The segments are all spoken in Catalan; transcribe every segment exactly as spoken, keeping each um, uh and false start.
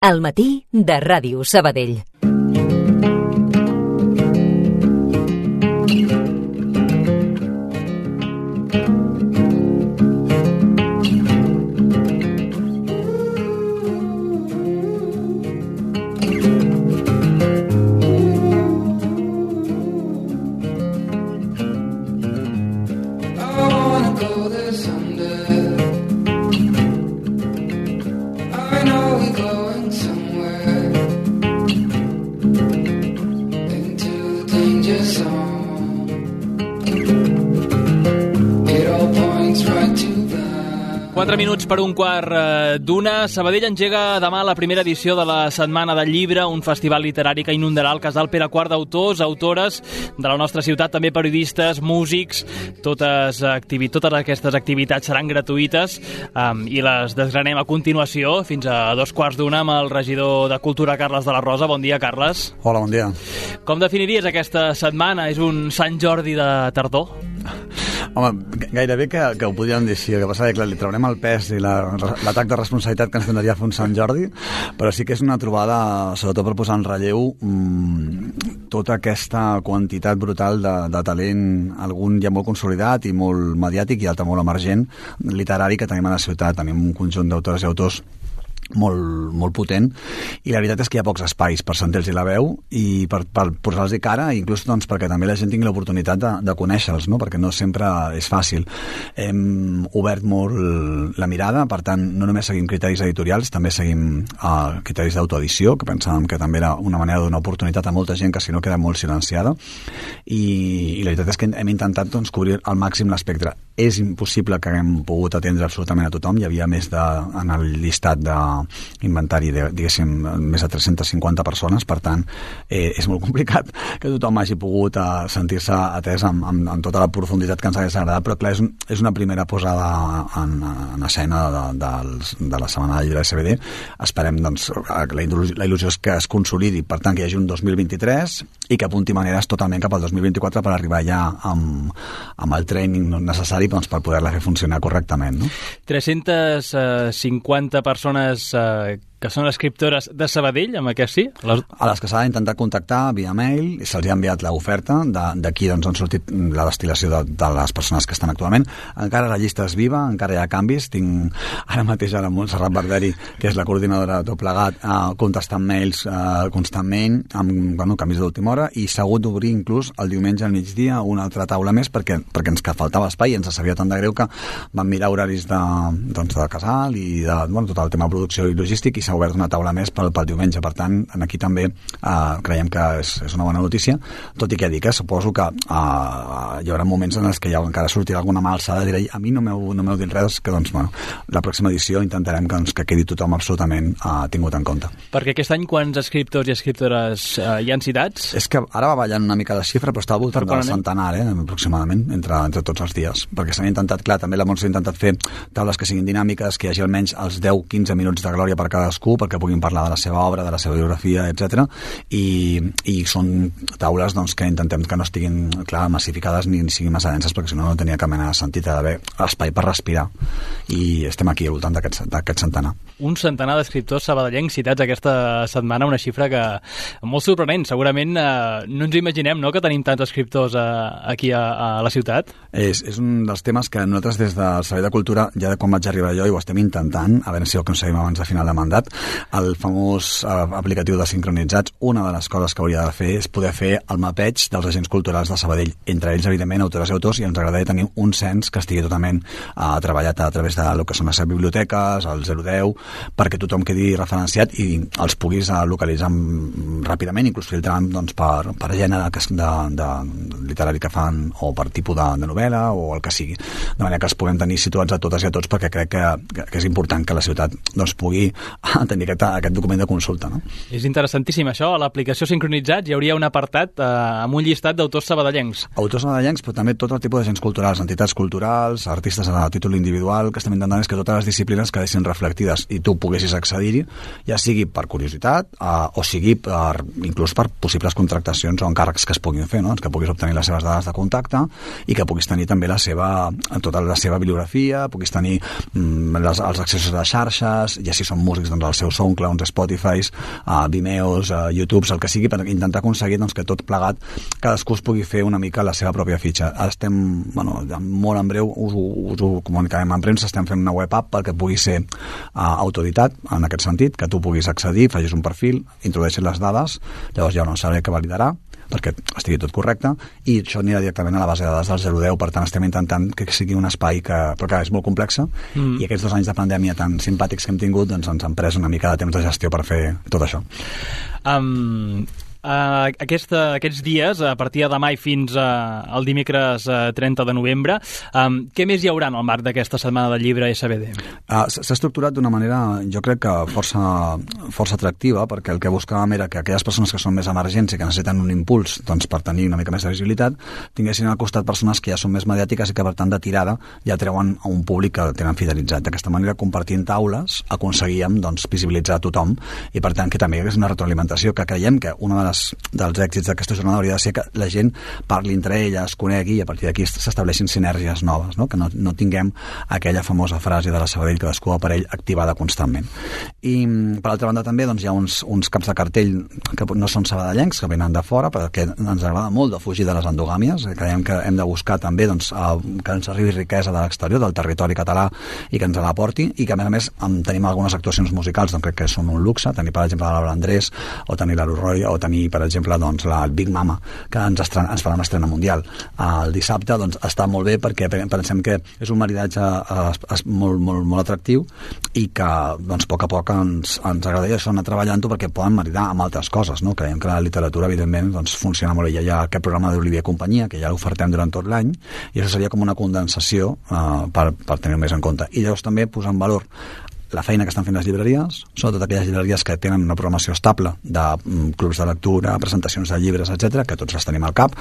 Al matí de Ràdio Sabadell. Quatre minuts per un quart d'una. Sabadell engega demà la primera edició de la Setmana del Llibre, un festival literari que inundarà el casal Pere quart d'autors, autores de la nostra ciutat, també periodistes, músics. Totes, activi- totes aquestes activitats seran gratuïtes um, i les desgranem a continuació fins a dos quarts d'una amb el regidor de Cultura, Carles de la Rosa. Bon dia, Carles. Hola, bon dia. Com definiries aquesta setmana? És un Sant Jordi de tardor? Home, gairebé que, que ho podríem dir així. El que passa és que li traurem el pes i la, l'atac de responsabilitat que ens donaria fer un Sant Jordi, però sí que és una trobada, sobretot per posar en relleu mmm, tota aquesta quantitat brutal de, de talent, algun ja molt consolidat i molt mediàtic i altre molt emergent, literari, que tenim a la ciutat. Tenim un conjunt d'autores i autors molt, molt potent, i la veritat és que hi ha pocs espais per sentir-los la veu i per, per posar-los cara, inclús doncs, perquè també la gent tingui l'oportunitat de, de conèixer-los, no? Perquè no sempre és fàcil. Hem obert molt la mirada, per tant, no només seguim criteris editorials, també seguim uh, criteris d'autoedició, que pensàvem que també era una manera de donar oportunitat a molta gent que si no queda molt silenciada, i, i la veritat és que hem intentat doncs, cobrir al màxim l'espectre. És impossible que haguem pogut atendre absolutament a tothom. Hi havia més de, en el llistat de inventari, de, diguéssim, més de tres-centes cinquanta persones, per tant, eh, és molt complicat que tothom hagi pogut eh, sentir-se atès amb, amb, amb tota la profunditat que ens hagués agradat, però clar, és, un, és una primera posada en, en escena de, de, de la Setmana del Llibre de C B D. Esperem, doncs, la, la il·lusió és que es consolidi, per tant, que hi hagi un dos mil vint-i-tres i que apunti maneres totalment cap al dos mil vint-i-quatre per arribar ja amb, amb el training necessari doncs, per poder-la fer funcionar correctament, no? tres-centes cinquanta persones eh, que són escriptores de Sabadell, amb aquest sí? Les... A les que s'ha intentat contactar via mail, i se'ls ha enviat l'oferta, d'aquí doncs, han sortit la destil·lació de, de les persones que estan actualment. Encara la llista és viva, encara hi ha canvis. Tinc ara mateix a la Montserrat Barberi, que és la coordinadora de tot plegat, eh, contestant mails eh, constantment, amb bueno, canvis d'última hora, i s'ha hagut d'obrir inclús el diumenge al migdia una altra taula més, perquè, perquè ens faltava espai, i ens sabia tant de greu que vam mirar horaris de, doncs, de casal i de bueno, tot el tema de producció i logístic, i s'ha obert una taula més pel, pel diumenge. Per tant, aquí també eh, creiem que és, és una bona notícia, tot i que dic, eh, suposo que eh, hi haurà moments en els que ja encara sortirà alguna mà alçada i diré, a mi no m'heu no dit res, que doncs, bueno, la pròxima edició intentarem que, doncs, que quedi tothom absolutament eh, tingut en compte. Perquè aquest any quants escriptors i escriptores eh, hi han citats? És que ara va ballant una mica la xifra, però està al voltant del centenar, eh, aproximadament, entre, entre tots els dies, perquè s'han intentat, clar, també la Montse ha intentat fer taules que siguin dinàmiques, que hi hagi almenys els deu a quinze minuts de glòria per cadascú, perquè puguin parlar de la seva obra, de la seva biografia, etcètera. I, i són taules doncs, que intentem que no estiguin, clar, massificades ni, ni siguin massa denses, perquè si no no tenia cap mena de sentit d'haver espai per respirar. I estem aquí al voltant d'aquest, d'aquest centenar. Un centenar d'escriptors sabadellencs citats aquesta setmana, una xifra que molt sorprenent. Segurament eh, no ens imaginem, no?, que tenim tants escriptors eh, aquí a, a la ciutat. És, és un dels temes que nosaltres des del Servei de Cultura, ja de quan vaig arribar jo, i ho estem intentant, a veure si ho aconseguim abans de final de mandat, el famós uh, aplicatiu de sincronitzats. Una de les coses que hauria de fer és poder fer el mapeig dels agents culturals de Sabadell, entre ells, evidentment, autores i autors, i ens agradaria tenir un cens que estigui totalment uh, treballat a través de lo que són les biblioteques, el zero deu, perquè tothom quedi referenciat i els puguis uh, localitzar ràpidament, inclús filtrant doncs, per, per gènere de, de, de literari que fan, o per tipus de, de novel·la, o el que sigui. De manera que els puguem tenir situats a totes i a tots, perquè crec que, que, que és important que la ciutat doncs, pugui tenir aquest, aquest document de consulta, no? És interessantíssim això. A l'aplicació Sincronitzats hi hauria un apartat eh, amb un llistat d'autors sabadellencs. Autors sabadellencs, però també tot el tipus d'agents culturals, entitats culturals, artistes a títol individual, que estem intentant és que totes les disciplines quedessin reflectides i tu poguessis accedir-hi, ja sigui per curiositat eh, o sigui per, inclús per possibles contractacions o encàrrecs que es puguin fer, no? Que puguis obtenir les seves dades de contacte i que puguis tenir també la seva, tota la seva bibliografia, puguis tenir mm, les, els accessos a les xarxes, ja si són músics, doncs els seus SoundClouds, Spotifys, uh, Vimeos, uh, YouTubes, el que sigui, per intentar aconseguir doncs, que tot plegat cadascú es pugui fer una mica la seva pròpia fitxa. Estem, bueno, molt en breu us ho, us ho comunicarem en premsa, estem fent una web app perquè pugui ser uh, autoeditat, en aquest sentit, que tu puguis accedir, facis un perfil, introdueixis les dades, llavors hi ha un servei que validarà perquè estigui tot correcte, i això anirà directament a la base de dades del zero deu, per tant estem intentant que sigui un espai que, però que és molt complexa, mm. i aquests dos anys de pandèmia tan simpàtics que hem tingut doncs ens han pres una mica de temps de gestió per fer tot això. Um... Uh, aquesta, aquests dies, a partir de demà i fins uh, al dimecres uh, trenta de novembre, um, què més hi haurà en el marc d'aquesta setmana del llibre S B D? Uh, S'ha estructurat d'una manera, jo crec que força, força atractiva, perquè el que buscàvem era que aquelles persones que són més emergents i que necessiten un impuls doncs, per tenir una mica més de visibilitat, tinguessin al costat persones que ja són més mediàtiques i que per tant de tirada ja treuen a un públic que tenen fidelitzat. D'aquesta manera, compartint taules, aconseguíem doncs, visibilitzar a tothom i per tant que també hi hagués una retroalimentació, que creiem que una de les dels èxits d'aquesta jornada hauria de ser que la gent parli entre elles, conegui i a partir d'aquí s'estableixin sinergies noves, no? Que no, no tinguem aquella famosa frase de la Sabadell que cadascú per ell activada constantment. I per altra banda també doncs, hi ha uns, uns caps de cartell que no són sabadellencs, que venen de fora, perquè ens agrada molt de fugir de les endogàmies, creiem que hem de buscar també doncs, que ens arribi riquesa de l'exterior, del territori català i que ens l'aporti, i que a més a més tenim algunes actuacions musicals, doncs crec que són un luxe, tenir per exemple la Laura Andrés o tenir la Roy o tenir per exemple doncs, la Big Mama, que ens, estrena, ens farà una estrena mundial el dissabte, doncs està molt bé perquè pensem que és un maridatge eh, molt, molt, molt atractiu i que doncs, a poc a poc ens, ens agradaria això anar treballant-ho perquè poden maridar amb altres coses, no? Creiem que la literatura evidentment doncs, funciona molt bé. Hi ha aquest programa d'Olivier Companyia que ja l'ofertem durant tot l'any i això seria com una condensació eh, per, per tenir-ho més en compte. I llavors també posar en valor la feina que estan fent les llibreries, sobretot aquelles llibreries que tenen una programació estable de mm, clubs de lectura, presentacions de llibres, etcètera, que tots les tenim al cap,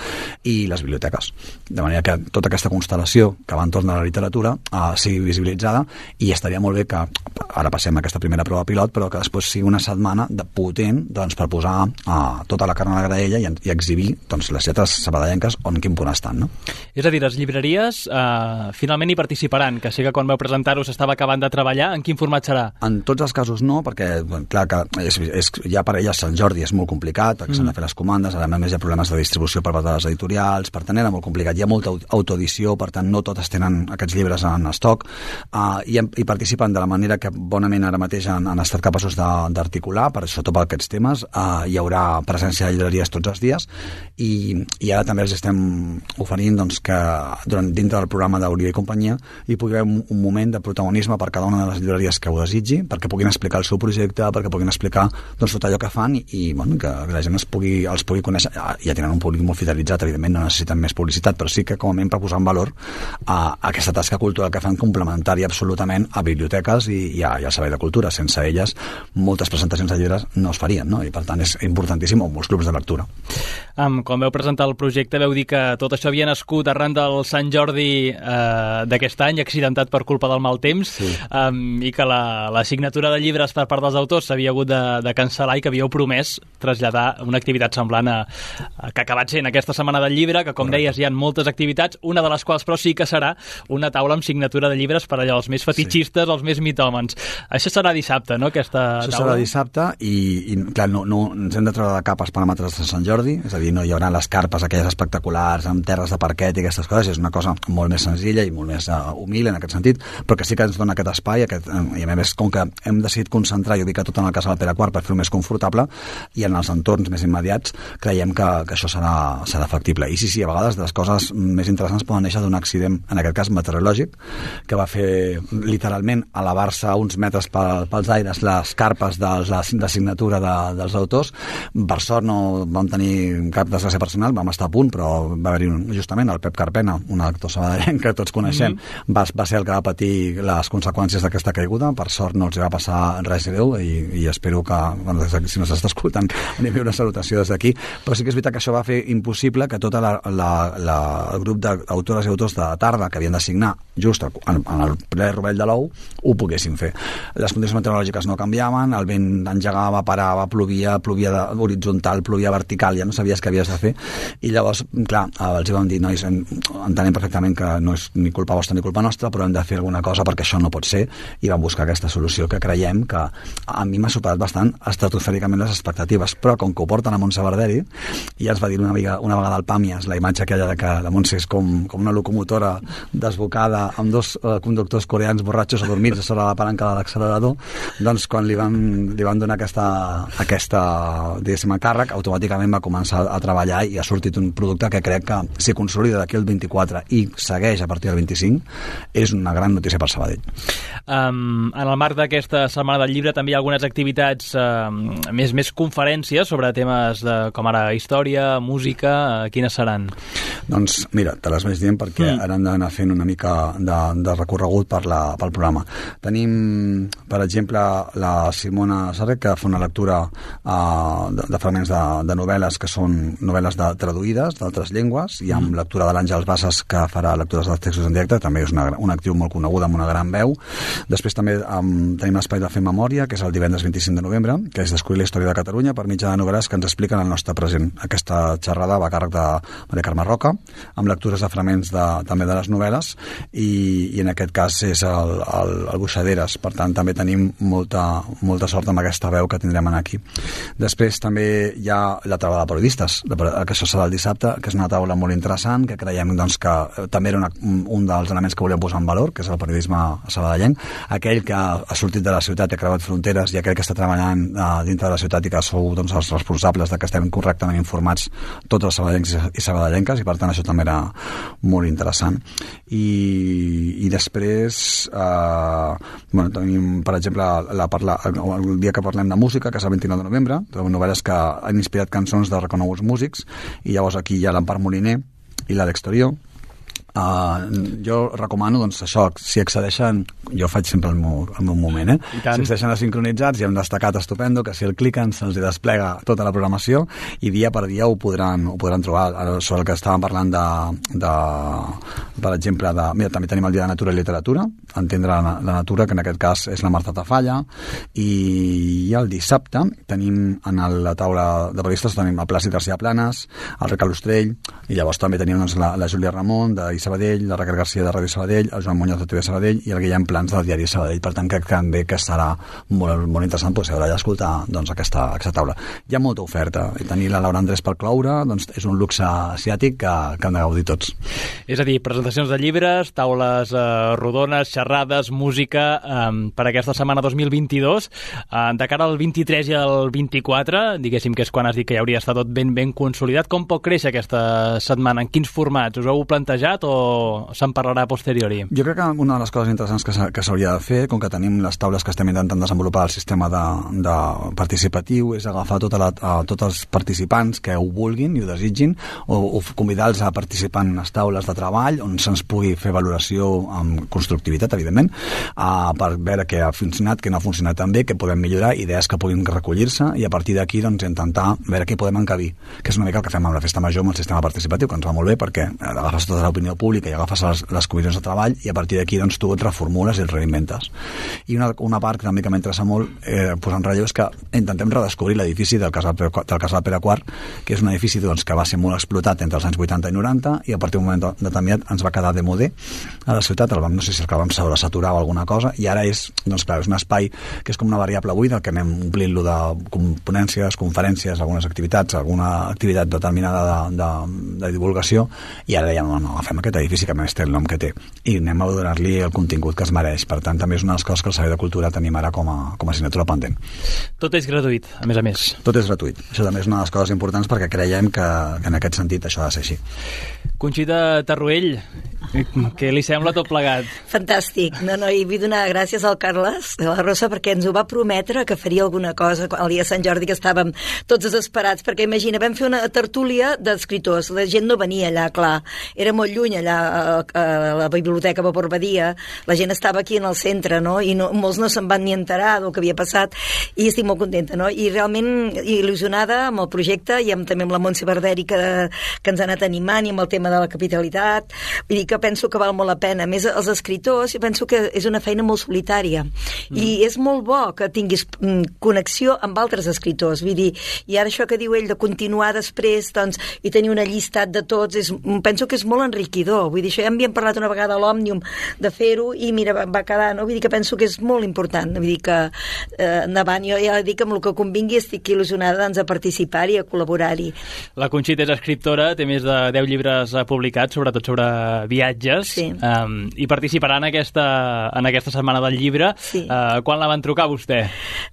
i les biblioteques. De manera que tota aquesta constel·lació que va entorn de la literatura eh, sigui visibilitzada, i estaria molt bé que ara passem a aquesta primera prova pilot, però que després sigui una setmana de potent doncs, per posar eh, tota la carn a la graella i, i exhibir doncs, les lletres sabadellenques on quin punt estan. No? És a dir, les llibreries eh, finalment hi participaran, que sí que quan vau presentar-ho s'estava acabant de treballar. En quin format serà? En tots els casos no, perquè bueno, clar que és, és, ja per elles Sant Jordi és molt complicat, perquè mm. s'han de fer les comandes, a més hi ha problemes de distribució per part de les editorials, per tant era molt complicat, hi ha molta autoedició, per tant no totes tenen aquests llibres en estoc, uh, i, i participen de la manera que bonament ara mateix han, han estat capaços d'articular, per sobretot per aquests temes, uh, hi haurà presència de llibreries tots els dies, i, i ara també els estem oferint doncs, que durant dintre del programa d'Olivier i Companyia hi pugui haver un, un moment de protagonisme per cada una de les llibreries que ho desitgi, perquè puguin explicar el seu projecte, perquè puguin explicar doncs, tot allò que fan i, i bueno, que la gent es pugui, els pugui conèixer. Ja tenen un públic molt fidelitzat, evidentment no necessiten més publicitat, però sí que com a mínim per posar en valor a, a aquesta tasca cultural que fan complementària absolutament a biblioteques i, i, a, i al servei de cultura. Sense elles moltes presentacions de llibres no es farien, no? I per tant és importantíssim, o molts clubs de lectura. Um, quan vau presentar el projecte vau dir que tot això havia nascut arran del Sant Jordi eh, d'aquest any, accidentat per culpa del mal temps, sí. um, i que la la signatura de llibres per part dels autors s'havia hagut de, de cancel·lar i que havíeu promès traslladar una activitat semblant a, a que ha acabat sent aquesta setmana del llibre, que com Correcte. Deies hi ha moltes activitats, una de les quals però sí que serà una taula amb signatura de llibres per allò, els més fetichistes, sí. els més mitòmens. Això serà dissabte, no? Aquesta Això taula? serà dissabte i, i clar, no, no, ens hem de treure de cap els paràmetres de Sant Jordi, és a dir, no hi haurà les carpes aquelles espectaculars amb terres de parquet i aquestes coses, és una cosa molt més senzilla i molt més uh, humil en aquest sentit, però que sí que ens dona aquest espai, aquest, uh, i a més com que hem decidit concentrar i ubicar tot en el casal Pere quart per fer-ho més confortable, i en els entorns més immediats creiem que, que això serà, serà factible. I sí, sí, a vegades les coses més interessants poden néixer d'un accident, en aquest cas meteorològic, que va fer literalment elevar-se uns metres pel, pels aires les carpes de, de signatura de, dels autors. Per sort no vam tenir cap desgràcia personal, vam estar a punt, però va haver-hi un, justament el Pep Carpena, un actor sabadellenc que tots coneixem, mm-hmm. va, va ser el que va patir les conseqüències d'aquesta caiguda. Per sort no els va passar res greu i, i espero que, bueno, si no s'està escoltant, anem a una salutació des d'aquí, però sí que és veritat que això va fer impossible que tot la, la, la, el grup d'autores i autors de tarda que havien de signar just en, en el ple rovell de l'ou ho poguessin fer. Les condicions meteorològiques no canviaven, el vent engegava, parava, plovia, plovia de, horitzontal, plovia vertical, ja no sabies què havies de fer, i llavors, clar, els hi vam dir, nois, entenem perfectament que no és ni culpa vostra ni culpa nostra, però hem de fer alguna cosa perquè això no pot ser, i vam buscar buscar aquesta solució que creiem que a mi m'ha superat bastant estratosfèricament les expectatives, però com que ho porten a Montse Barderi, ja ens va dir una, mica, una vegada al Pàmies la imatge aquella de que la Montse és com, com una locomotora desbocada amb dos eh, conductors coreans borratxos adormits sobre la palanca de l'accelerador, doncs quan li van, li van donar aquesta, aquesta diguéssim, càrrec, automàticament va començar a treballar i ha sortit un producte que crec que si consolida d'aquí el vint-i-quatre i segueix a partir del vint-i-cinc, és una gran notícia per Sabadell. Um, en el marc d'aquesta Setmana del Llibre també hi ha algunes activitats, um, més, més conferències sobre temes de, com ara història, música, uh, quines seran? Doncs mira, te les vaig dient perquè mm. ara hem d'anar fent una mica de, de recorregut per la, pel programa. Tenim, per exemple, la Simona Sarrec, que fa una lectura uh, de, de fragments de, de novel·les que són novel·les de, traduïdes d'altres llengües, i amb mm. lectura de l'Àngels Bassas, que farà lectures dels textos en directe, també és una, una actriu molt coneguda amb una gran veu. Després també um, tenim l'espai de Fer Memòria, que és el divendres vint-i-cinc de novembre, que és descobrir la història de Catalunya per mitjà de novel·les que ens expliquen el nostre present. Aquesta xerrada va a càrrec de Maria Carme Roca, amb lectures de fragments de, també de les novel·les, i, i en aquest cas és el, el, el Buixaderes. Per tant, també tenim molta, molta sort amb aquesta veu que tindrem aquí. Després també hi ha la taula de periodistes, que això serà el dissabte, que és una taula molt interessant, que creiem doncs, que també era una, un dels elements que volíem posar en valor, que és el periodisme sabadellenc, aquell que ha sortit de la ciutat i ha creuat fronteres, i aquell que està treballant uh, dintre de la ciutat i que sou doncs, els responsables de que estem correctament informats tots els sabadellencs i sabadellenques, i per tant això també era molt interessant. I, i després eh, bueno, tenim, per exemple, la parla, el, el dia que parlem de música, que és el vint-i-nou de novembre, novel·les que han inspirat cançons de reconeguts músics, i llavors aquí hi ha l'Empar Moliner i l'Àlex Torió. Uh, jo recomano, doncs, això, si accedeixen, jo faig sempre el meu, el meu moment, eh? Si accedeixen a sincronitzats, hi ha un destacat estupendo, que si el cliquen se'ls desplega tota la programació, i dia per dia ho podran, ho podran trobar. Sobre el que estàvem parlant de, de per exemple, de, mira, també tenim el Dia de Natura i Literatura, entendre la, la natura, que en aquest cas és la Marta Tafalla, i el dissabte tenim en la taula de periodistes, tenim el Plàcid García Planes, el Ricard Ostrell, i llavors també tenim doncs, la, la Júlia Ramon de Sabadell, la Raquel García de Ràdio Sabadell, el Joan Muñoz de T V Sabadell i el Guillem Plans del diari Sabadell. Per tant, crec que també que serà molt, molt interessant pues, haurà d'escoltar doncs, aquesta, aquesta taula. Hi ha molta oferta, i tenir la Laura Andrés per cloure doncs, és un luxe asiàtic que, que hem de gaudir tots. És a dir, presentacions de llibres, taules eh, rodones, xerrades, música eh, per aquesta setmana dos mil vint-i-dos. Eh, de cara al vint-i-tres i al vint-i-quatre, diguéssim que és quan has dit que ja hauria estat tot ben ben consolidat, com pot créixer aquesta setmana? En quins formats? Us heu plantejat o se'n parlarà a posteriori? Jo crec que una de les coses interessants que s'hauria de fer, com que tenim les taules que estem intentant desenvolupar el sistema de, de participatiu, és agafar tota la, a tots els participants que ho vulguin i ho desitgin, o, o convidar-los a participar en unes taules de treball on se'ns pugui fer valoració amb constructivitat, evidentment, uh, per veure què ha funcionat, què no ha funcionat tan bé, què podem millorar, idees que puguin recollir-se, i a partir d'aquí doncs, intentar veure què podem encabir, que és una mica el que fem amb la Festa Major amb el sistema participatiu, que ens va molt bé perquè agafes tota l'opinió pública i agafes les, les comissions de treball, i a partir d'aquí doncs, tu et reformules i et reinventes. I una, una part que també que m'interessa molt eh, posar en relleu és que intentem redescobrir l'edifici del casal, del casal Pere quart, que és un edifici doncs, que va ser molt explotat entre els anys vuitanta i noranta, i a partir d'un moment determinat ens va quedar de modé a la ciutat, el vam, no sé si el que vam saturar o alguna cosa, i ara és, doncs, clar, és un espai que és com una variable buida, que anem omplint-lo de ponències, conferències, algunes activitats, alguna activitat determinada de, de, de divulgació, i ara ja no, no agafem aquest edifici que més té el nom que té, i anem a donar-li el contingut que es mereix. Per tant, també és una de les coses que el Servei de Cultura tenim ara com a, com a assignatura pendent. Tot és gratuït, a més a més. Tot és gratuït. Això també és una de les coses importants perquè creiem que, que en aquest sentit això ha de ser així. Conxita Tarruell, què li sembla tot plegat? Fantàstic. No, no, i vull donar gràcies al Carles de la Rosa perquè ens ho va prometre que faria alguna cosa el dia de Sant Jordi, que estàvem tots desesperats, perquè imagina, vam fer una tertúlia d'escriptors, la gent no venia allà, clar, era molt lluny allà a, a la biblioteca Vapor Badia, la gent estava aquí en el centre, no? I no, molts no se'n van ni enterar del que havia passat, i estic molt contenta, no? I realment il·lusionada amb el projecte, i amb, també amb la Montse Barderi que, que ens ha anat animant, i amb el tema de la capitalitat. Vull dir que penso que val molt la pena. A més, els escriptors, penso que és una feina molt solitària, mm. i és molt bo que tinguis connexió amb altres escriptors. Vull dir, i ara això que diu ell de continuar després, doncs, i tenir una llistat de tots, és, penso que és molt enriquidor. déu-n'hi-do. Vull dir, això ja m'havien parlat una vegada a l'Òmnium de fer-ho i mira, va, va quedar, no? Vull dir que penso que és molt important. Vull dir que eh, endavant, jo ja dic que amb el que convingui estic il·lusionada doncs, a participar-hi, a col·laborar-hi. La Conxita és escriptora, té més de deu llibres publicats, sobretot sobre viatges, sí. um, i participarà en aquesta, en aquesta setmana del llibre. Sí. Uh, quan la van trucar a vostè?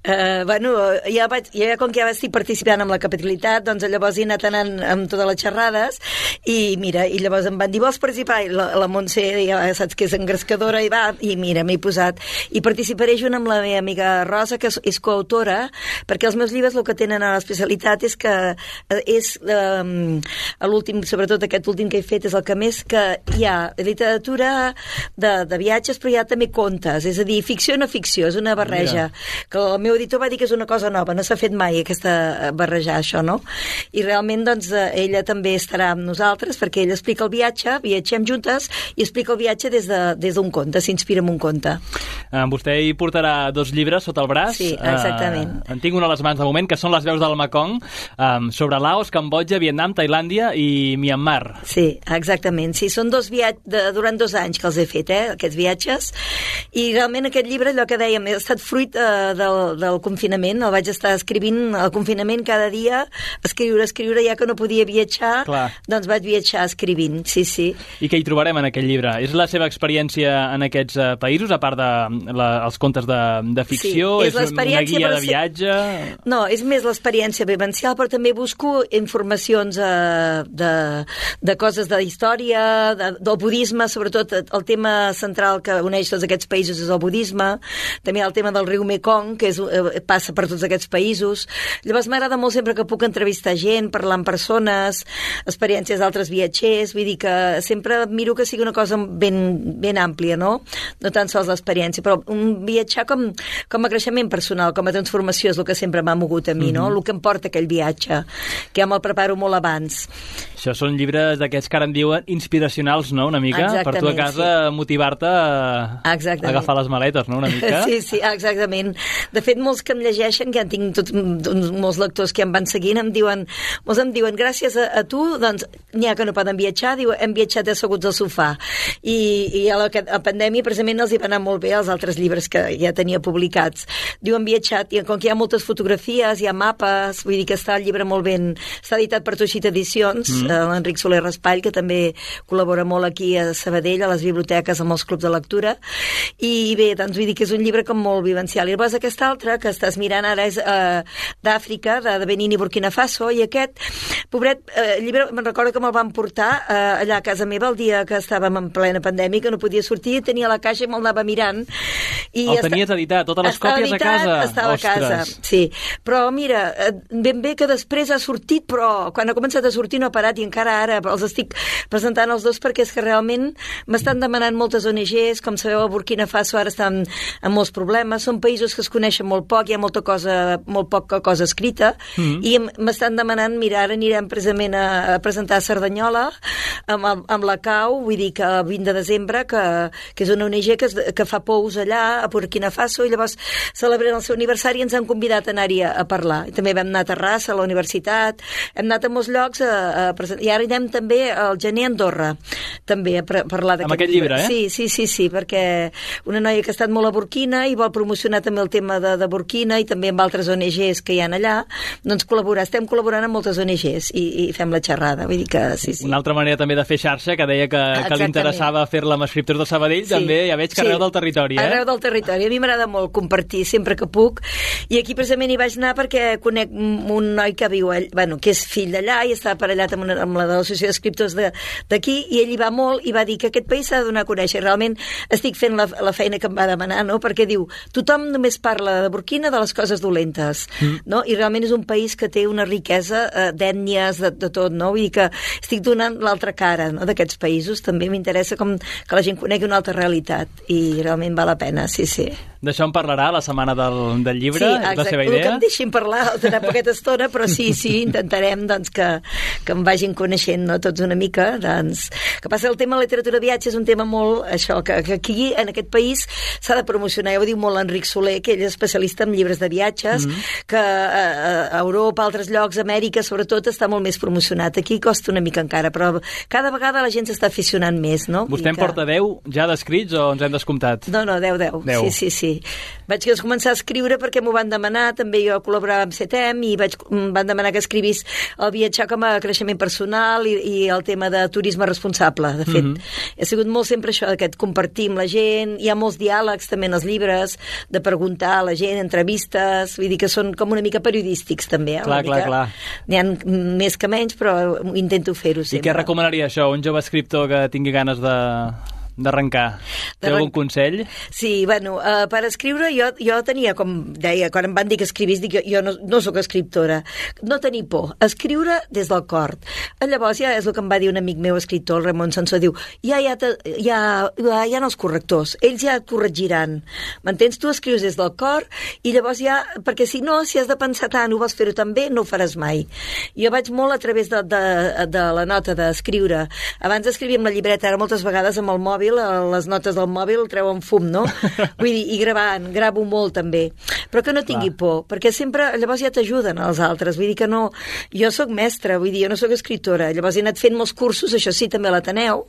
Uh, bueno, ja, vaig, ja com que ja estic participant amb la capitalitat, doncs llavors he anat anant amb totes les xerrades i mira, i llavors em van dir, vols participar? I la, la Montse, ja saps que és engrescadora, i va, i mira, m'he posat. I participaré junt amb la meva amiga Rosa, que és, és coautora, perquè els meus llibres el que tenen a l'especialitat és que és um, l'últim, sobretot aquest últim que he fet, és el que més que hi ha literatura de, de viatges, però hi ha també contes, és a dir, ficció no ficció, és una barreja. Mira. Que el meu editor va dir que és una cosa nova, no s'ha fet mai aquesta barrejar això, no? I realment, doncs, ella també estarà amb nosaltres, perquè ella explica el viatge, viatgem juntes, i explica el viatge des d'un de, des conte, s'inspira en un conte. Uh, vostè hi portarà dos llibres sota el braç. Sí, exactament. Uh, en tinc un a les mans de moment, que són Les veus del Mekong, um, sobre Laos, Cambodja, Vietnam, Tailàndia i Myanmar. Sí, exactament. Sí, són dos viatges, de, durant dos anys que els he fet, eh, aquests viatges, i realment aquest llibre, allò que dèiem, ha estat fruit eh, del, del confinament, el vaig estar escrivint al confinament cada dia, escriure, escriure, ja que no podia viatjar, Clar. doncs vaig viatjar escrivint, sí, sí. I què hi trobarem en aquest llibre? És la seva experiència en aquests uh, països, a part de la, els contes de, de ficció? Sí, és, és una guia de ser... viatge? No, és més l'experiència vivencial, però també busco informacions eh, de, de coses de història, de, del budisme, sobretot el tema central que uneix tots aquests països és el budisme, també el tema del riu Mekong, que és, eh, passa per tots aquests països. Llavors m'agrada molt sempre que puc entrevistar gent, parlar amb persones, experiències d'altres viatgers, vull dir que sempre miro que sigui una cosa ben, ben àmplia, no? No tan sols l'experiència, però un viatjar com, com a creixement personal, com a transformació és el que sempre m'ha mogut a mi, no? Mm-hmm. El que em porta aquell viatge, que ja me'l preparo molt abans. Això són llibres d'aquests que ara en diuen inspiracionals, no?, una mica? Exactament, per tu a casa sí. motivar-te a, a agafar les maletes, no?, una mica? Sí, sí, exactament. De fet, molts que em llegeixen, que ja tinc tots, molts lectors que em van seguint, em diuen, molts em diuen, gràcies a, a tu, doncs, n'hi ha que no poden viatjar, diu, hem viatjat asseguts al sofà. I, i a la, a pandèmia, precisament, els hi va anar molt bé els altres llibres que ja tenia publicats. Diu, hem viatjat, i com que hi ha moltes fotografies, hi ha mapes, vull dir que està el llibre molt ben... Està editat per Toixita Edicions, mm. eh, l'Enric Soler Raspall, que també col·labora molt aquí a Sabadell, a les biblioteques, amb els clubs de lectura, i bé, doncs vull dir que és un llibre com molt vivencial. I llavors aquest altre, que estàs mirant ara, és eh, d'Àfrica, de, de Benín i Burkina Faso, i aquest, pobret, eh, llibre, me'n recordo que me'l van portar eh, allà a casa meva el dia que estàvem en plena pandèmia, que no podia sortir, tenia la caixa i me'l anava mirant. I el tenies editat, totes les còpies editat, a casa? Estava Ostres. a casa, sí. Però mira, ben bé que després ha sortit, però quan ha començat a sortir no ha parat, i encara ara els estic presentant els dos perquè és que realment m'estan demanant moltes O N Ges, com sabeu a Burkina Faso ara estan amb molts problemes, són països que es coneixen molt poc, hi ha molta cosa, molt poca cosa escrita, mm. i m'estan demanant, mira, ara anirem precisament a, a presentar a Cerdanyola amb, amb la C A U, vull dir que el vint de desembre, que, que és una O N G que, es, que fa pous allà a Burkina Faso, i llavors celebrant el seu aniversari ens han convidat a anar-hi a, a parlar. I també vam anar a Terrassa, a la universitat, hem anat a molts llocs a, a presentar, i ara anem també al gener a Andorra, també a parlar d'aquest amb aquest llibre, eh? Sí, sí, sí, sí, perquè una noia que ha estat molt a Burkina i vol promocionar també el tema de, de Burkina i també amb altres O N Ges que hi ha allà, doncs col·laborar, estem col·laborant amb moltes O N Ges i, i fem la xerrada, vull dir que sí, sí. Una altra manera també de fer xarxa, que deia que, que li interessava fer-la amb escriptors de Sabadell, sí. també ja veig que sí. arreu del territori, eh? Arreu del territori, a mi m'agrada molt compartir sempre que puc, i aquí precisament hi vaig anar perquè conec un noi que viu, bueno, que és fill d'allà i està aparellat amb, una, amb la de l'Associació d'Escriptors d'aquí, i ell hi va molt i va dir que aquest país s'ha de donar a conèixer. Realment estic fent la, la feina que em va demanar, no? Perquè diu, tothom només parla de Burkina de les coses dolentes, mm. no? I realment és un país que té una riquesa eh, d'ètnies, de, de tot, no? Vull dir que estic donant l'altra cara, no? D'aquests països. També m'interessa com que la gent conegui una altra realitat i realment val la pena, sí, sí. D'això en parlarà la setmana del, del llibre, sí, és la seva idea? Sí, que em deixin parlar, tindrà poqueta estona, però sí, sí, intentarem doncs, que, que em vagin coneixent, no? Tots una mica, doncs... Que passa el tema de la literatura de viatge és un tema molt, això, que, que aquí, en aquest país, s'ha de promocionar. Ja ho diu molt l'Enric Soler, que ell és especialista en llibres de viatges, mm-hmm. que a, a Europa, a altres llocs, a Amèrica, sobretot, està molt més promocionat. Aquí costa una mica encara, però cada vegada la gent s'està aficionant més, no? Vostè en que... porta deu ja descrits o ens hem descomptat? No, no, deu, deu. Sí, sí, sí. Vaig començar a escriure perquè m'ho van demanar, també jo col·laborava amb C T E M i vaig, van demanar que escrivís el viatjar com a creixement personal i, i el tema de turisme responsable, de fet. Mm-hmm. He sigut molt sempre això, aquest compartir amb la gent, hi ha molts diàlegs també en els llibres, de preguntar a la gent, entrevistes, vull dir que són com una mica periodístics també. Eh? Clar, clar, clar. N'hi ha més que menys, però intento fer-ho sempre. I què recomanaria això, un jove escriptor que tingui ganes de... d'arrencar? Té algun consell? Sí, bueno, uh, per escriure jo, jo tenia, com deia, quan em van dir que escrivís, dic, jo, jo no, no sóc escriptora. No tenir por, escriure des del cor. Llavors ja és el que em va dir un amic meu escriptor, el Ramon Sansó, diu, ja hi ha, ja, ja hi ha els correctors, ells ja et corregiran. M'entens? Tu escrius des del cor i llavors ja, perquè si no, si has de pensar tant, ho vols fer-ho tan bé, no ho faràs mai. Jo vaig molt a través de, de, de la nota d'escriure. Abans escrivia amb la llibreta, ara moltes vegades amb el mòbil, les notes del mòbil treuen fum, no? Vull dir, i gravant, gravo molt també. Però que no tingui Clar. por, perquè sempre, llavors ja t'ajuden els altres, vull dir que no... Jo sóc mestra, vull dir, jo no sóc escriptora, llavors he anat fent molts cursos, això sí, també a l'Ateneu,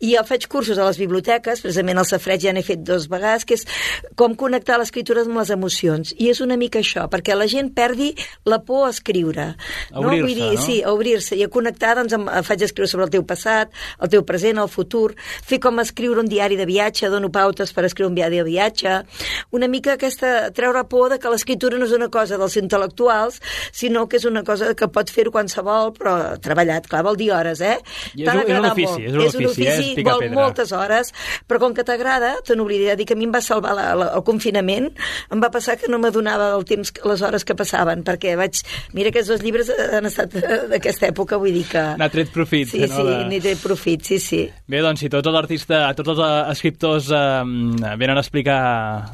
i jo faig cursos a les biblioteques, precisament al Safareig ja n'he fet dos vegades, que és com connectar l'escriptura amb les emocions, i és una mica això, perquè la gent perdi la por a escriure. A obrir-se, no? Vull dir, no? Sí, a obrir-se, i a connectar, doncs, amb, faig escriure sobre el teu passat, el teu present, el futur, fer com escriure un diari de viatge, dono pautes per escriure un diari de viatge, una mica aquesta, treure por de que l'escriptura no és una cosa dels intel·lectuals, sinó que és una cosa que pot fer qualsevol, però treballat, clar, vol dir hores, eh? I és, un, és un ofici, és un és un ofici, ofici eh? Picar vol pedra. moltes hores, però com que t'agrada, te n'oblidaré de dir que a mi em va salvar la, la, el confinament, em va passar que no m'adonava del temps, les hores que passaven, perquè vaig... Mira, aquests dos llibres han estat d'aquesta època, vull dir que... N'ha tret profit. Sí, no, sí, de... n'he tret profit, sí, sí. Bé, doncs, si tots els artistes, tots els escriptors eh, venen a explicar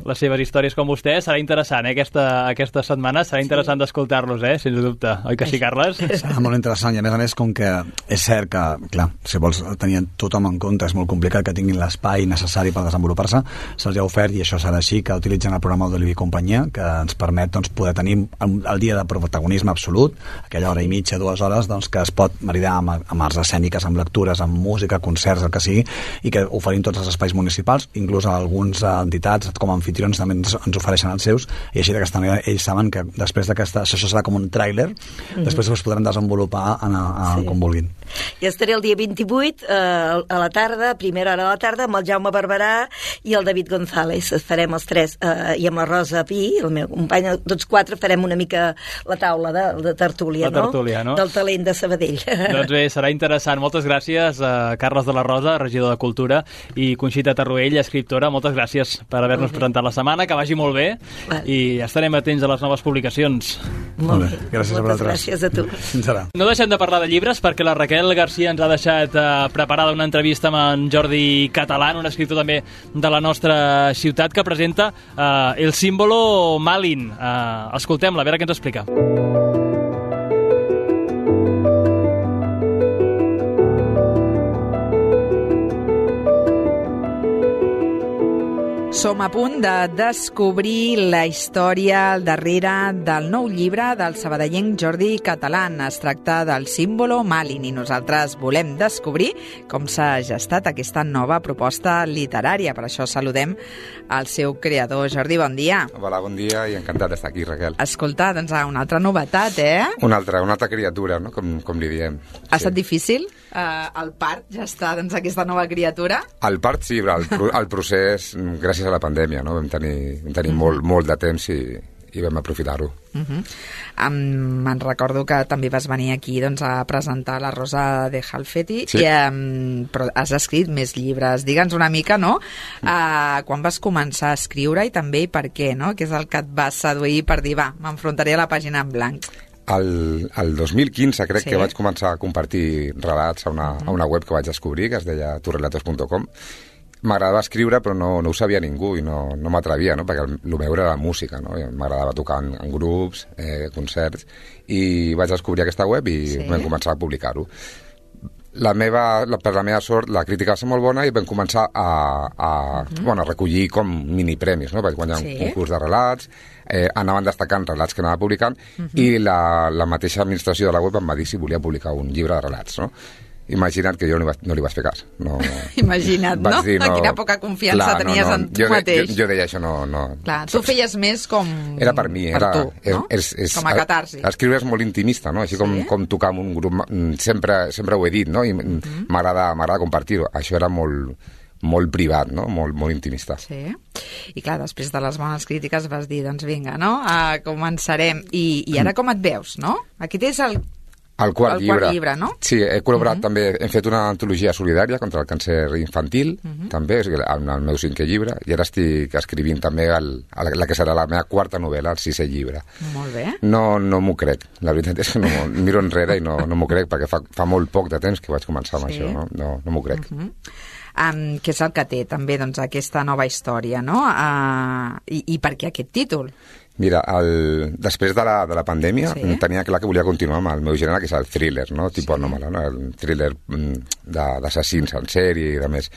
les seves històries com vostè, serà interessant, eh, aquesta, aquesta setmana, serà interessant sí. d'escoltar-los, eh, sens dubte. Oi que sí, Carles? Serà molt interessant, i a més a més, com que és cert que, clar, si vols tenir tothom en compte, és molt complicat que tinguin l'espai necessari per desenvolupar-se, se'ls ha ofert, i això serà així, que utilitzen el programa d'Oliver i companyia, que ens permet doncs, poder tenir el, el dia de protagonisme absolut, aquella hora i mitja, dues hores, doncs, que es pot maridar amb, amb arts escèniques, amb lectures, amb música, concerts, el que sigui, i que oferim tots els espais municipals, inclús algunes entitats com a anfitrions també ens, ens ofereixen els seus, i així d'aquesta manera ells saben que després d'aquesta, això serà com un tràiler, mm-hmm. després es podran desenvolupar en, a, sí. com vulguin. I estaré el dia vint-i-vuit eh, a la tarda, a primera hora de la tarda, amb el Jaume Barberà i el David González. Farem els tres, eh, i amb la Rosa Pi, el meu company, tots quatre farem una mica la taula de, de tertúlia, la tertúlia no? no? Del talent de Sabadell. Doncs bé, serà interessant. Moltes gràcies a Carles de la Rosa, regidor de Cultura, i Conxita Tarruell, escriptora. Moltes gràcies per haver-nos presentat la setmana, que vagi molt bé, vale. I estarem atents a les noves publicacions. Molt bé, gràcies a vosaltres. Gràcies a tu. Fins ara. No deixem de parlar de llibres perquè la Raquel Garcia ens ha deixat eh, preparada una entrevista amb en Jordi Catalán, un escriptor també de la nostra ciutat, que presenta eh, El símbolo Malin. Eh, escoltem-la, a veure què ens explica. Som a punt de descobrir la història al darrere del nou llibre del sabadellenc Jordi Catalán. Es tracta del símbolo Malin i nosaltres volem descobrir com s'ha gestat aquesta nova proposta literària. Per això saludem al seu creador. Jordi, bon dia. Hola, bon dia i encantat d'estar aquí, Raquel. Escolta, doncs una altra novetat, eh? Una altra, una altra criatura, no? Com, com li diem. Ha estat sí. difícil? Uh, el part ja està, doncs, aquesta nova criatura? El part sí, però el, el procés, gràcies a la pandèmia, no? Vam tenir, vam tenir mm. molt, molt de temps i, i vam aprofitar-ho. Uh-huh. Um, me'n recordo que també vas venir aquí doncs, a presentar La Rosa de Halfeti, sí. i, um, però has escrit més llibres. Digue'ns una mica, no? Uh, quan vas començar a escriure i també per què, no? Què és el que et va seduir per dir, va, m'enfrontaré a la pàgina en blanc? El, el dos mil quinze crec sí. que vaig començar a compartir relats a una, uh-huh. a una web que vaig descobrir, que es deia turrelatos punt com. M'agradava escriure, però no, no ho sabia ningú i no, no m'atrevia, no? Perquè el, el meu era la música, no? M'agradava tocar en, en grups, eh, concerts, i vaig descobrir aquesta web i sí. vam començar a publicar-ho. La meva, la, per la meva sort, la crítica va ser molt bona i vam començar a, a, uh-huh. bueno, a recollir com minipremis, no? Vaig guanyar sí. un concurs de relats, eh, anaven destacant relats que anava publicant, uh-huh. i la, la mateixa administració de la web em va dir si volia publicar un llibre de relats, no? Imagina't que jo no, no li vaig fer cas. No, Imagina't, no? dir, no? Quina poca confiança Clar, tenies no, no. en tu jo, mateix. Jo, jo deia això, no... no. Clar, tu feies més com... Era per mi, per era... tu, no? És, és, com a catarsi. Escriure és molt intimista, no? Així com, Sí? com tocar amb un grup... Sempre, sempre ho he dit, no? I Mhm. m'agrada m'agrada compartir-ho. Això era molt, molt privat, no? Molt, molt intimista. Sí. I clar, després de les bones crítiques vas dir, doncs vinga, no? Uh, començarem. I, I ara com et veus, no? Aquí tens el... El quart, El llibre. quart llibre, no? Sí, he col·laborat Mhm. també, hem fet una antologia solidària contra el càncer infantil, Mhm. també, o sigui, el, el meu cinquè llibre, i ara estic escrivint també el, el, la que serà la meva quarta novel·la, el sisè llibre. Molt bé. No, no m'ho crec, la veritat és que no, miro enrere i no, no m'ho crec, perquè fa, fa molt poc de temps que vaig començar amb Sí. això, no? No, no m'ho crec. Mhm. Um, què és el que té també doncs, aquesta nova història, no? Uh, i, I per què aquest títol? Mira, el, després de la, de la pandèmia Sí. sí. tenia clar que volia continuar amb el meu gènere, que és el thriller, no? Tipus anòmala, no? El thriller mm, de- d'assassins en sèrie i de més.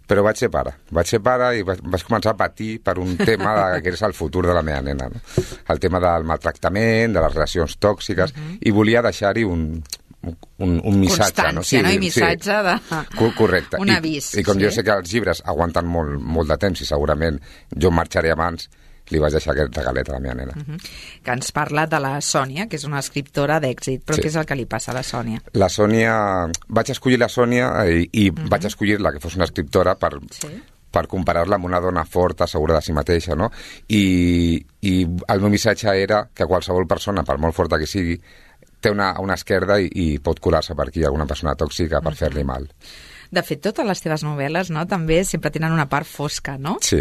Però vaig ser pare. Vaig ser pare i vaig, vaig començar a patir per un tema de, que és el futur de la meva nena, no? El tema del maltractament, de les relacions tòxiques, uh-huh. i volia deixar-hi un, un, un missatge. No? Constància, no? I missatge de... Co- Correcte. Un I, avís, I com sí. jo sé que els llibres aguanten molt, molt de temps i segurament jo marxaré abans, li vaig deixar aquest regalet a la meva nena. Mhm. Que ens parla de la Sònia, que és una escriptora d'èxit. Però Sí. què és el que li passa a la Sònia? La Sònia... Vaig escollir la Sònia i, i uh -huh. vaig escollir-la que fos una escriptora per, Sí. per comparar-la amb una dona forta, segura de si mateixa, no? I, i el meu missatge era que qualsevol persona, per molt forta que sigui, té una, una esquerda i, i pot colar-se per aquí alguna persona tòxica per uh -huh. fer-li mal. De fet, totes les teves novel·les, no?, també sempre tenen una part fosca, no? Sí,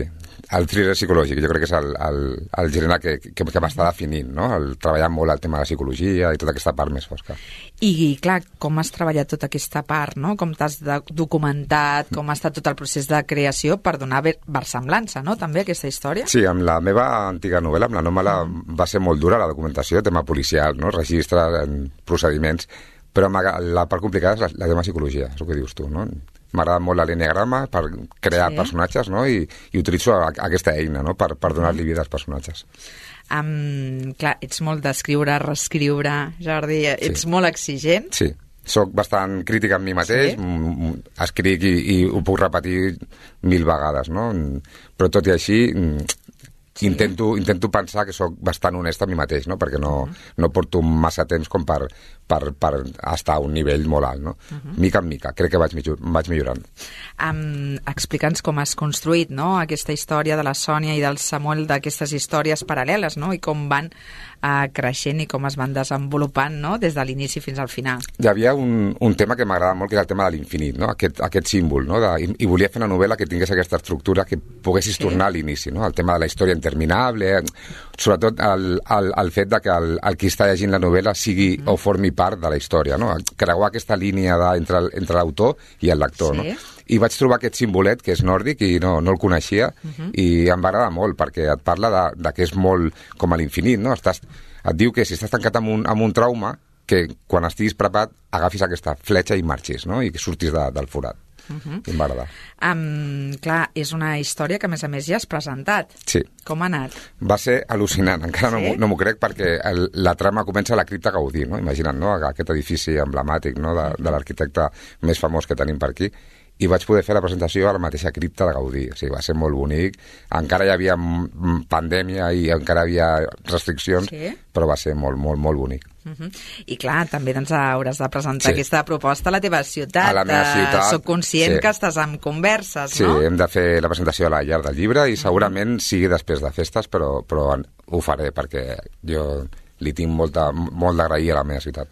el thriller psicològic, jo crec que és el, el, el gènere que, que, que m'està definint, no? El treballar molt el tema de la psicologia i tota aquesta part més fosca. I, clar, com has treballat tota aquesta part, no? Com t'has de- documentat, com ha estat tot el procés de creació per donar ver- versemblança, no?, també, a aquesta història? Sí, amb la meva antiga novel·la, amb l'Anòmala, va ser molt dura la documentació, tema policial, no? Registre, en procediments, però m'aga- la part complicada és la, la tema psicologia, és el que dius tu, no? M'agrada molt l'enneagrama per crear Sí. personatges, no? I, i utilitzo a, aquesta eina, no?, per, per donar-li vida als personatges. Um, clar, ets molt d'escriure, reescriure, Jordi, ets Sí. molt exigent. Sí, soc bastant crític amb mi mateix, Sí? sí? escric i, i ho puc repetir mil vegades, no? Però tot i així... Sí. Intento, intento pensar que sóc bastant honest amb mi mateix, no? Perquè no, uh-huh. no porto massa temps com per, per, per estar a un nivell molt alt, no? Uh-huh. Mica en mica, crec que vaig, vaig millorant. Um, Explica'ns com has construït, no?, aquesta història de la Sònia i del Samuel, d'aquestes històries paral·leles, no?, i com van uh, creixent i com es van desenvolupant, no?, des de l'inici fins al final. Hi havia un, un tema que m'agrada molt, que és el tema de l'infinit, no? Aquest, aquest símbol, no? De, i, I volia fer una novel·la que tingués aquesta estructura que poguessis Sí. tornar a l'inici, no? El tema de la història interminable, sobretot el, el, el fet de que el, el qui està llegint la novel·la sigui mm. o formi part de la història, no? Creuar aquesta línia de, entre, entre l'autor i el lector, Sí. no? I vaig trobar aquest simbolet, que és nòrdic, i no, no el coneixia, uh-huh. i em va agradar molt, perquè et parla de, de que és molt com a l'infinit, no? Estàs, et diu que si estàs tancat amb un, amb un trauma, que quan estiguis preparat agafis aquesta fletxa i marxis, no? I que surtis de, del forat. Uh-huh. I em va agradar. Um, clar, és una història que, a més a més, ja has presentat. Sí. Com ha anat? Va ser al·lucinant, encara Sí? sí? no, m'ho- no m'ho crec, perquè el, la trama comença a la cripta Gaudí, no? Imagina't, no? Aquest edifici emblemàtic, no? de, de l'arquitecte més famós que tenim per aquí, i vaig poder fer la presentació a la mateixa cripta de Gaudí. O sigui, va ser molt bonic. Encara hi havia mm, pandèmia i encara hi havia restriccions, Sí? però va ser molt, molt, molt bonic. Uh -huh. I clar, també doncs, hauràs de presentar Sí. aquesta proposta a la teva ciutat. A la meva Eh, ciutat, Soc conscient sí. que estàs en converses, Sí, no? hem de fer la presentació a la llar del llibre i segurament sigui després de festes, però, però ho faré perquè jo li tinc molta, molt d'agrair a la meva ciutat.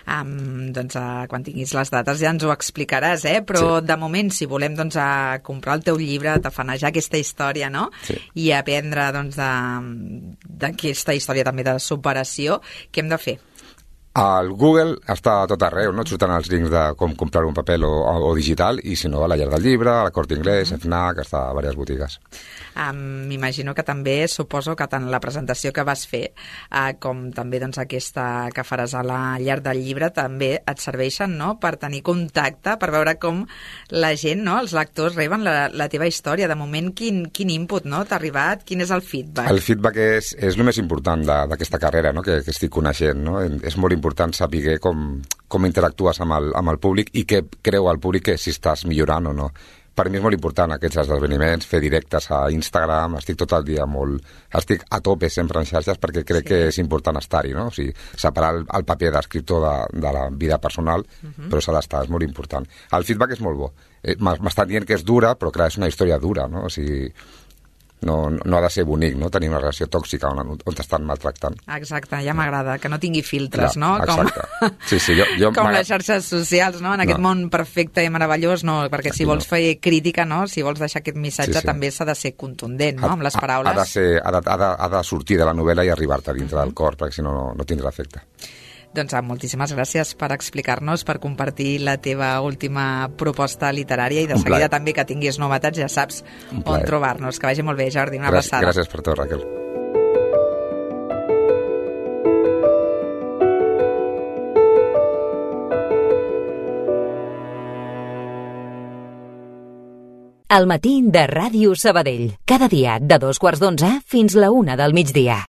Um, doncs uh, quan tinguis les dates ja ens ho explicaràs, eh? Però Sí. de moment, si volem doncs, a comprar el teu llibre, tafanejar aquesta història, no? Sí. I aprendre doncs, de- d'aquesta història també de superació, què hem de fer? El Google està a tot arreu, no? Et surten els links de com comprar un paper o, o, o digital, i si no, a la llar del llibre, a la Corte Inglés, a FNAC, està a diverses botigues. Um, M'imagino que també, suposo que tant la presentació que vas fer uh, com també doncs, aquesta que faràs a la llar del llibre també et serveixen, no?, per tenir contacte, per veure com la gent, no?, els lectors reben la, la teva història. De moment, quin, quin input, no?, t'ha arribat? Quin és el feedback? El feedback és, és el més important de- d'aquesta carrera, no? que, que estic coneixent. No? És molt important saber com, com interactues amb el, amb el públic i què creu el públic que si estàs millorant o no. Per mi és molt important aquests esdeveniments, fer directes a Instagram, estic tot el dia molt... Estic a tope sempre en xarxes perquè crec sí. que és important estar-hi, no? O sigui, separar el, el paper d'escriptor de, de la vida personal, uh-huh. però s'ha d'estar, és molt important. El feedback és molt bo. Eh, M'estan dient que és dura, però clar, és una història dura, no? O sigui, no, no ha de ser bonic, no? Tenir una relació tòxica on, on t'estan maltractant. Exacte, ja m'agrada, que no tingui filtres, no? Com, sí, sí, jo, jo com les xarxes socials, no? En aquest no. món perfecte i meravellós, no? Perquè si vols fer crítica, no? Si vols deixar aquest missatge, sí, sí. també s'ha de ser contundent, no? Ha, amb les paraules. Ha de, ser, ha, de, ha, de, ha de sortir de la novel·la i arribar-te dintre uh-huh. del cor, perquè si no, no, no tindrà efecte. Doncs moltíssimes gràcies per explicar-nos, per compartir la teva última proposta literària i de un seguida plaer. També que tinguis novetats ja saps on trobar-nos. Que vagi molt bé, Jordi, una gràcies, abraçada. Gràcies per tot, Raquel. El matí de Ràdio Sabadell. Cada dia de dos quarts d'onze fins la una del migdia.